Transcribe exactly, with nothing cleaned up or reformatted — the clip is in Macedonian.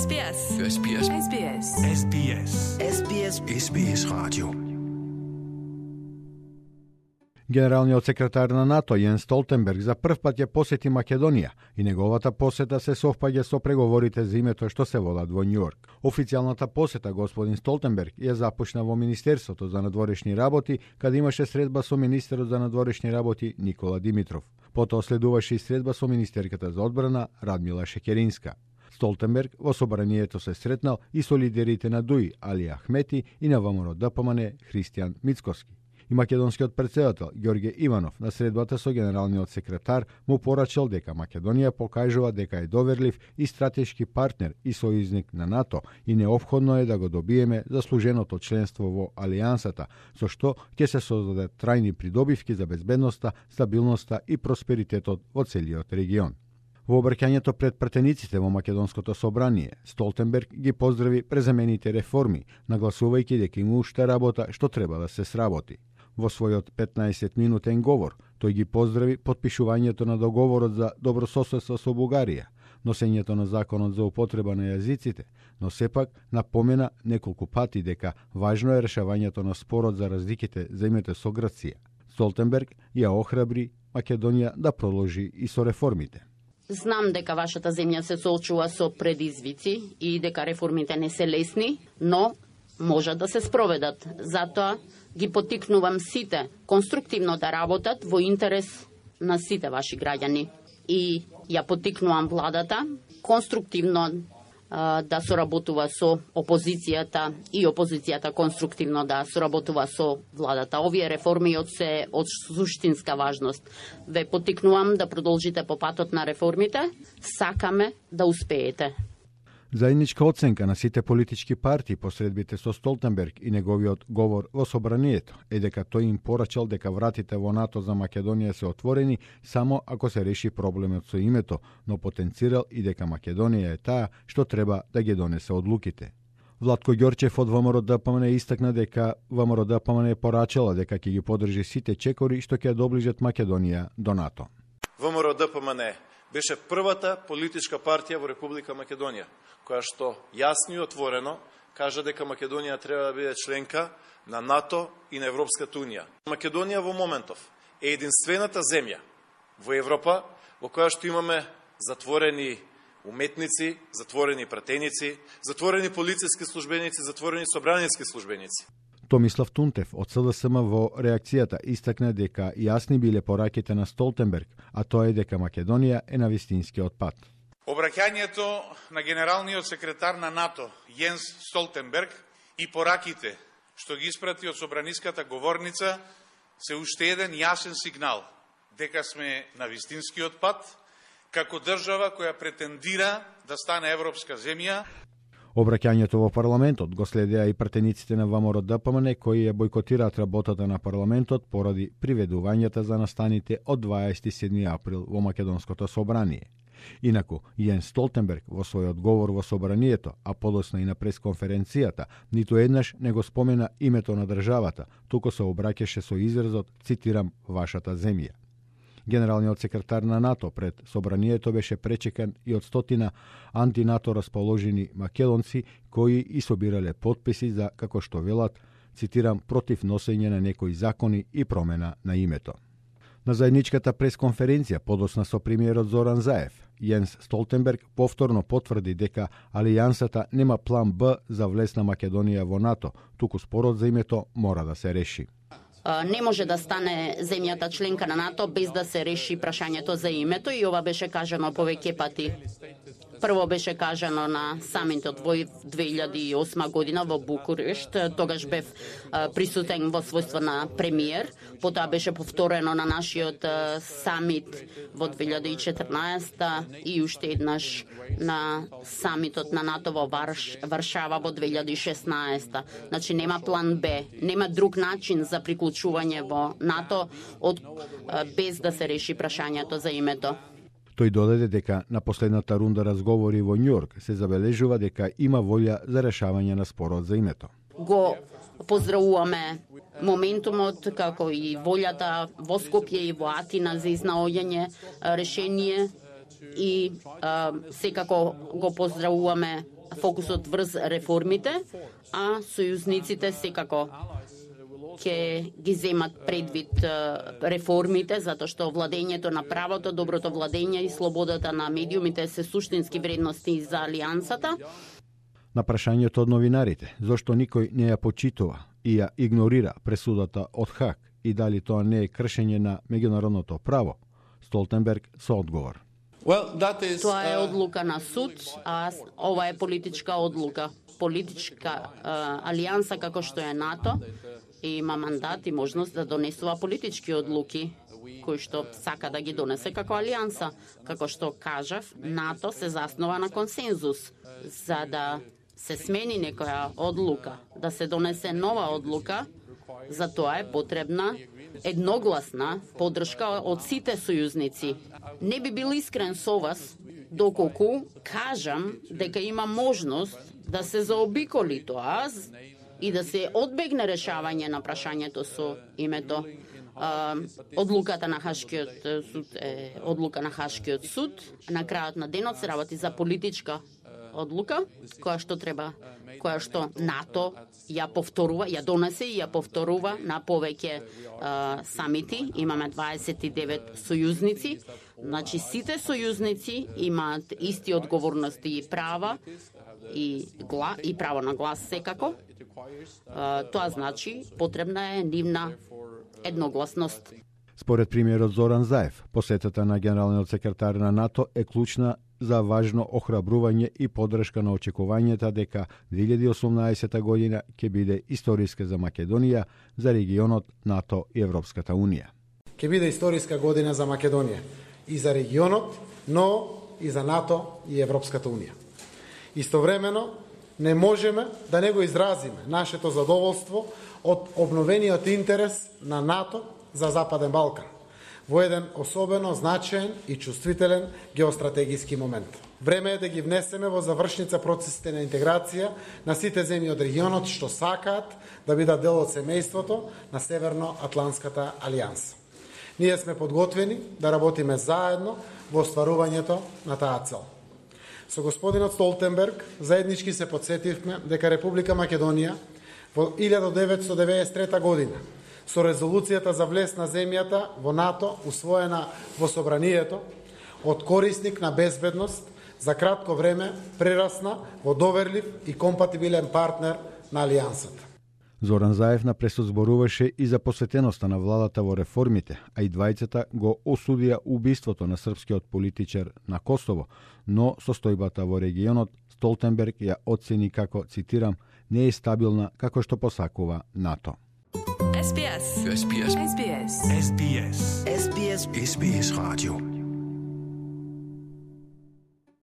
S B S. S B S. S B S. S B S. S B S. S B S Radio. Генералниот секретар на НАТО Јенс Столтенберг за прв пат ја посети Македонија и неговата посета се совпаѓа со преговорите за името што се водат во Њујорк. Официјалната посета господин Столтенберг ја започна во Министерството за надворешни работи, каде имаше средба со министерот за надворешни работи Никола Димитров. Потоа следуваше и средба со министерката за одбрана Радмила Шекеринска. Столтенберг во собранието се сретнал и со лидерите на ДУИ Али Ахмети и на ВМРО Д П М Н Христијан Мицкоски. И македонскиот претседател Ѓорѓе Иванов на средбата со генералниот секретар му порачал дека Македонија покажува дека е доверлив и стратешки партнер и сојузник на НАТО и неопходно е да го добиеме заслуженото членство во Алијансата, со што ќе се создадат трајни придобивки за безбедноста, стабилноста и просперитетот во целиот регион. Во обраќањето пред пратениците во Македонското собрание, Столтенберг ги поздрави презамените реформи, нагласувајќи дека има уште работа што треба да се сработи. Во својот петнаесет минутен говор, тој ги поздрави потпишувањето на договорот за добрососедство со Бугарија, носењето на законот за употреба на јазиците, но сепак напомена неколку пати дека важно е решавањето на спорот за разликите за името со Грција. Столтенберг ја охрабри Македонија да продолжи и со реформите. Знам дека вашата земја се соочува со предизвици и дека реформите не се лесни, но можат да се спроведат. Затоа ги потикнувам сите конструктивно да работат во интерес на сите ваши граѓани. И ја потикнувам владата конструктивно а, да соработува со опозицијата и опозицијата конструктивно да соработува со владата. Овие реформи од се од суштинска важност. Ве потикнувам да продолжите по патот на реформите. Сакаме да успеете. Заедничка оценка на сите политички партии по средбите со Столтенберг и неговиот говор во собранието е дека тој им порачал дека вратите во НАТО за Македонија се отворени само ако се реши проблемот со името, но потенцирал и дека Македонија е таа што треба да ги донесе одлуките. Владко Ѓорчев од ВМРО Д П М Н истакна дека ВМРО Д П М Н порачала дека ќе ги подржи сите чекори што ќе доближат Македонија до НАТО. ВМРО Д П М Н беше првата политичка партија во Република Македонија, која што јасно и отворено кажа дека Македонија треба да биде членка на НАТО и на Европската Унија. Македонија во моментов е единствената земја во Европа во која што имаме затворени уметници, затворени пратеници, затворени полициски службеници, затворени собраниски службеници. Томислав Тунтев од С Д С М во реакцијата истакна дека јасни биле пораките на Столтенберг, а тоа е дека Македонија е на вистинскиот пат. Обраќањето на генералниот секретар на НАТО Јенс Столтенберг и пораките што ги испрати од собраниската говорница се уште еден јасен сигнал дека сме на вистинскиот пат како држава која претендира да стане европска земја. Обраќањето во парламентот го следеа и пратениците на ВМРО Д П М Н кои ја бойкотираат работата на парламентот поради приведувањата за настаните од дваесет и седми април во Македонското собрание. Инаку, Јенс Столтенберг во својот говор во собранието, а подоцна и на пресконференцијата, ниту еднаш не го спомена името на државата, туку се обраќаше со изразот, цитирам, вашата земја. Генералниот секретар на НАТО пред собранието беше пречекан и од стотина антинато расположени македонци кои и собирале потписи за, како што велат, цитирам, против носење на некои закони и промена на името. На заедничката пресконференција подоцна со премиерот Зоран Заев, Јенс Столтенберг повторно потврди дека Алијансата нема план Б за влез на Македонија во НАТО, туку спорот за името мора да се реши. Не може да стане земјата членка на НАТО без да се реши прашањето за името и ова беше кажано повеќе пати. Прво беше кажано на самитот во две илјади и осма година во Букурешт, тогаш бев присутен во својство на премиер, потоа беше повторено на нашиот самит во две илјади и четрнаесета и уште еднаш на самитот на НАТО во Варш, Варшава во две илјади и шеснаесета. Значи нема план Б, нема друг начин за приклучување во НАТО од без да се реши прашањето за името. Тој додаде дека на последната рунда разговори во Њујорк се забележува дека има волја за решавање на спорот за името. Го поздравуваме моментумот како и волјата во Скопје и во Атина за изнаоѓање решение и а, секако го поздравуваме фокусот врз реформите, а сојузниците секако ќе ги земат предвид реформите, затоа што владењето на правото, доброто владење и слободата на медиумите се суштински вредности за алијансата. На прашањето од новинарите, зошто никој не ја почитува и ја игнорира пресудата од Хаг и дали тоа не е кршење на меѓународното право, Столтенберг со одговор. Well, that is, Тоа е uh... одлука на суд, а ова е политичка одлука. Политичка uh, алијанса како што е НАТО има мандат и можност да донесува политички одлуки кои што сака да ги донесе како алијанса. Како што кажав, НАТО се заснова на консензус. За да се смени некоја одлука, да се донесе нова одлука, за тоа е потребна едногласна поддршка од сите сојузници. Не би бил искрен со вас доколку кажам дека има можност да се заобиколи тоа и да се одбегне решавање на прашањето со името. Uh, одлуката на Хашкиот суд е одлука на Хашкиот суд. На крајот на денот се работи за политичка одлука, која што треба, која што НАТО ја повторува, ја донесе и ја повторува на повеќе uh, самити. Имаме дваесет и девет сојузници. Значи сите сојузници имаат исти одговорности и права и гла и право на глас секако. Uh, тоа значи потребна е нивна едногласност. Според премиерот Зоран Заев, посетата на генералниот секретар на НАТО е клучна за важно охрабрување и поддршка на очекувањата дека две илјади и осумнаесета година ќе биде историска за Македонија, за регионот, НАТО и Европската Унија. Ќе биде историска година за Македонија и за регионот, но и за НАТО и Европската Унија. Истовремено, не можеме да не го изразиме нашето задоволство од обновениот интерес на НАТО за Западен Балкан во еден особено значаен и чувствителен геостратегиски момент. Време е да ги внесеме во завршница процесите на интеграција на сите земји од регионот што сакаат да бидат дел од семејството на Северно-Атлантската алијанса. Ние сме подготвени да работиме заедно во остварувањето на таа цел. Со господинот Столтенберг заеднички се подсетивме дека Република Македонија во илјада деветстотини деветдесет и трета година со резолуцијата за влез на земјата во НАТО усвоена во собранието од корисник на безбедност за кратко време прерасна во доверлив и компатибилен партнер на алијансата. Зоран Заев на пресот зборуваше и за посветеноста на владата во реформите, а и двајцата го осудија убиството на српскиот политичар на Косово, но состојбата во регионот Столтенберг ја оцени како, цитирам, не е стабилна како што посакува НАТО. S B S. S B S. S B S. S B S. S B S. S B S Radio.